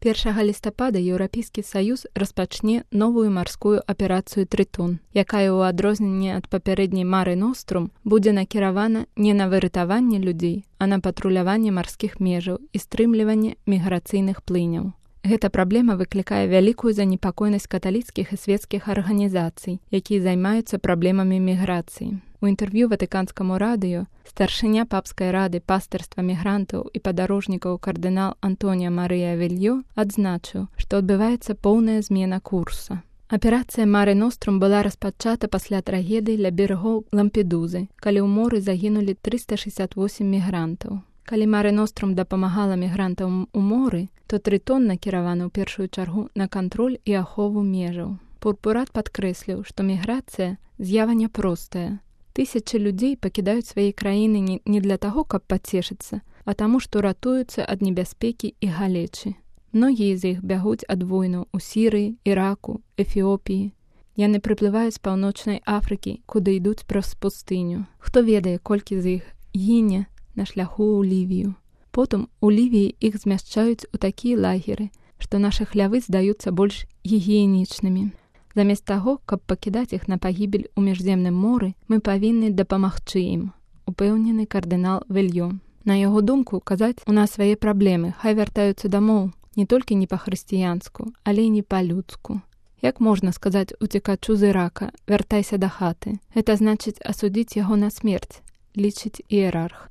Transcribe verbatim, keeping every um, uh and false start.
першага лістапада Еўрапейскі саюз распачне новую марскую аперацыю «Трытон», якая ў адрозненне ад папярэдняй «Мары Нострум» будзе накіравана не на выратаванне людзей, а на патруляванне марскіх межаў і стрымліванне міграцыйных плыняў. Гэта праблема выклікае вялікую занепакойнасць каталіцкіх і свецкіх арганізацый, якія займаюцца праблемамі міграцыі. У інтэрв'ю Ватыканскаму радыё старшыня папскай рады пастырства мігрантаў і падарожнікаў кардынал Антоніа Марыя Авельё адзначыў, што адбываецца поўная змена курса. Аперацыя «Мары Нострум» была распачата пасля трагедыі ля берагоў Лампедузы, калі ў моры загінулі трыста шэсцьдзесят восем мігрантаў. Калі «Мары Нострум» дапамагала мігрантам у моры, то «Трытон» накіраваны ў першую чаргу на кантроль і ахову межаў. Пурпурат падкрэсліў, што міграцыя з'ява няпростая. Тысячы людзей пакідаюць свае краіны не, не для таго, каб пацешыцца, а таму, што ратуюцца ад небяспекі і галечы. Многія з іх бягуць ад войнаў у Сірыі, Іраку, Эфіопіі. Яны прыплываюць з паўночнай Афрыкі, куды ідуць праз пустыню. Хто ведае, колькі з іх гіне на шляху ў Лівію. Потым у Лівіі іх змяшчаюць у такія лагеры, што нашы хлявы здаюцца больш гігіенічнымі. Замест таго, каб пакідаць іх на пагібель у міжземным моры, мы павінны дапамагчы ім, упэўнены кардынал Авельё. На яго думку, казаць у нас свае праблемы, хай вяртаюцца дамоў, не толькі не па-хрысціянску, але і не па-людску. Як можна сказаць уцекачу з Ірака, вяртайся да хаты? Гэта значыць асудзіць яго на смерць, лічыць іерарх.